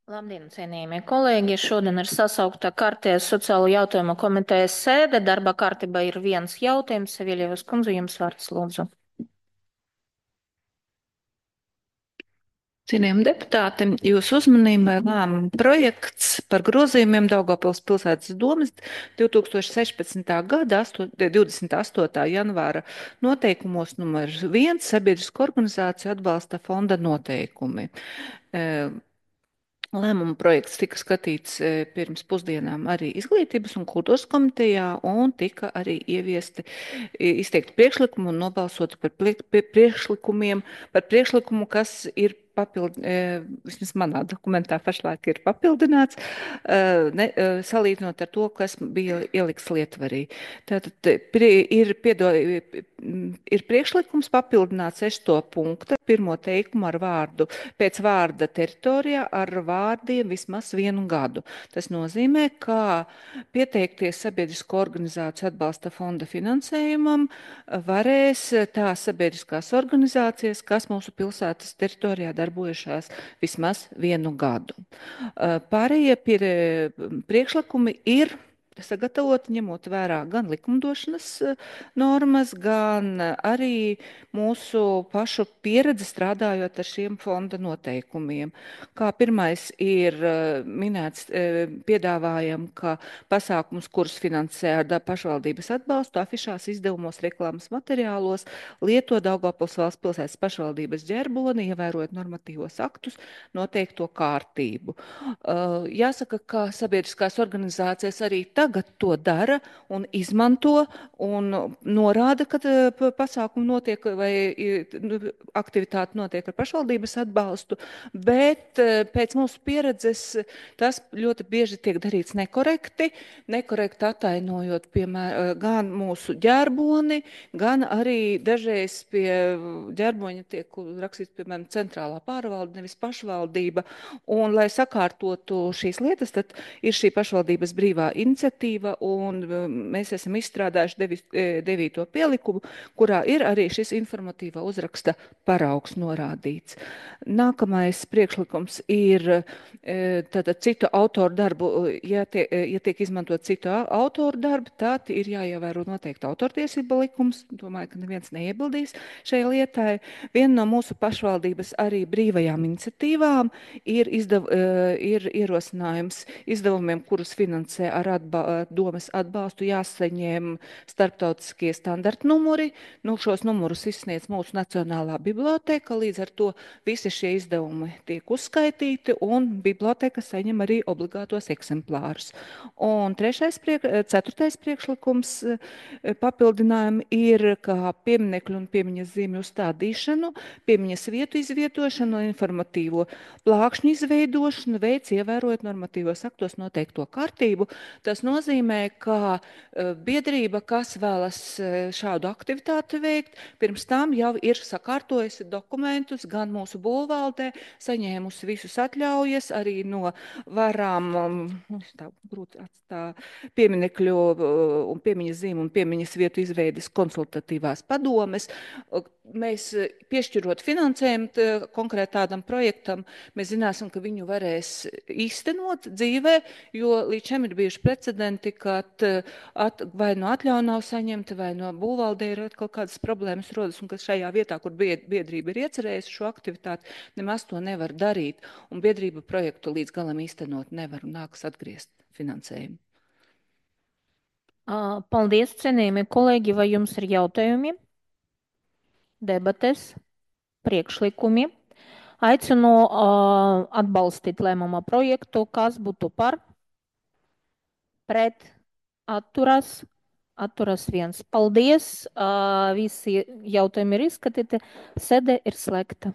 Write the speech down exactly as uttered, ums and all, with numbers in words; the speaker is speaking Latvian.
Labdien, cienījamie kolēģi! Šodien ir sasaukta kārtējā sociālo jautājumu komitejas sēde. Darba kārtībā ir viens jautājums. Seviļevas kundze, jums vārds lūdzu. Cienījami deputāti, jūsu uzmanībai lēmuma projekts par grozījumiem Daugavpils pilsētas domes divi tūkstoši sešpadsmitā gada divdesmit astotā janvāra noteikumos numur viens sabiedrisko organizāciju atbalsta fonda noteikumi. Eh, Lēmuma projekts tika skatīts e, pirms pusdienām arī Izglītības un kultūras komitejā un tika arī ieviesti e, izteikti priekšlikumi un nobalsoti par prie- pie- priekšlikumiem, par priekšlikumu, kas ir papildi, e, vismaz manā dokumentā pašlaik ir papildināts, e, ne, e, salīdzinot ar to, kas bija ielikts lietvarī. Tātad e, prie, ir, piedo, ir priekšlikums papildināt sesto punktu, pirmo teikumu ar vārdu pēc vārda teritorijā ar vārdiem vismaz vienu gadu. Tas nozīmē, ka pieteikties sabiedrisko organizāciju atbalsta fonda finansējumam varēs tās sabiedriskās organizācijas, kas mūsu pilsētas teritorijā darbojušās vismaz vienu gadu. Pārējie pie priekšlikumi ir sagatavoti ņemot vērā gan likumdošanas normas, gan arī mūsu pašu pieredzi strādājot ar šiem fonda noteikumiem. Kā pirmais ir eh, minēts, eh, piedāvājam, ka pasākums, kurus finansē ar da- pašvaldības atbalstu, afišās, izdevumos, reklāmas materiālos, lieto Daugavpils valsts pilsētas pašvaldības ģerboni, ievērojot normatīvos aktus, noteikto kārtību. Uh, Jāsaka, ka sabiedriskās organizācijas arī tagad to dara un izmanto un norāda, ka eh, p- pasākumi notiek vai i, nu, aktivitāte notiek ar pašvaldības atbalstu, bet eh, pēc mūsu pieredzes tas ļoti bieži tiek darīts nekorekti, nekorekti atainojot, piemēram, gan mūsu ģerboni, gan arī dažreiz pie ģerboņa tiek rakstīts, piemēram, centrālā pārvalde, nevis pašvaldība. Un, lai sakārtotu šīs lietas, tad ir šī pašvaldības brīvā iniciatīva, un um, mēs esam izstrādājuši devi, eh, devīto pielikumu, kurā ir arī šis informatīvā uzraksta paraugs norādīts. Nākamais priekšlikums ir eh, tātad citu autoru darbu, ja, tie, eh, ja tiek izmantot citu au- autoru darbu, tad ir jāievēro noteikti autortiesība likums. Domāju, ka neviens neiebildīs šai lietai. Viena no mūsu pašvaldības arī brīvajām iniciatīvām ir, izdev, eh, ir ierosinājums izdevumiem, kurus finansē ar atba domes atbalstu, jāsaņem starptautiskie standarta numuri. Nu, šos numurus izsniedz mūsu Nacionālā biblioteka, līdz ar to visi šie izdevumi tiek uzskaitīti un biblioteka saņem arī obligātos eksemplārus. Un trešais, priek, ceturtais priekšlikums eh, papildinājumi ir, kā pieminekļu un piemiņas zīmju uzstādīšanu, piemiņas vietu izvietošanu un informatīvo plākšņu izveidošanu veids ievērojot normatīvos aktos noteikto kārtību. Tas nozīmē, ka uh, biedrība, kas vēlas uh, šādu aktivitāti veikt, pirms tam jau ir sakārtojusi dokumentus gan mūsu būvvaldē, saņēmusi visus atļaujas arī no varām, um, tā grūti atstā, pieminekļu uh, un piemiņas zīmu un piemiņas vietu izveides konsultatīvās padomes. Uh, Mēs uh, piešķirot finansējumu t, konkrēt tādam projektam, mēs zināsim, ka viņu varēs īstenot dzīvē, jo līdz šim ir bijuši precedenti, kad eh, at, vai no atļauja nav saņemta, vai no būvvaldē ir kaut kādas problēmas rodas, un ka šajā vietā, kur bied- biedrība ir iecerējusi šo aktivitāti, nemaz to nevar darīt, un biedrība projektu līdz galam īstenot nevar un nāks atgriezt finansējumu. Ā, Paldies, cienījamie kolēģi! Vai jums ir jautājumi, debates, priekšlikumi? Aicinu ā, atbalstīt lēmuma projektu. Kas būtu par, pret, atturas, atturas viens. Paldies! Ā, Visi jautājumi ir izskatīti. Sēde ir slēgta.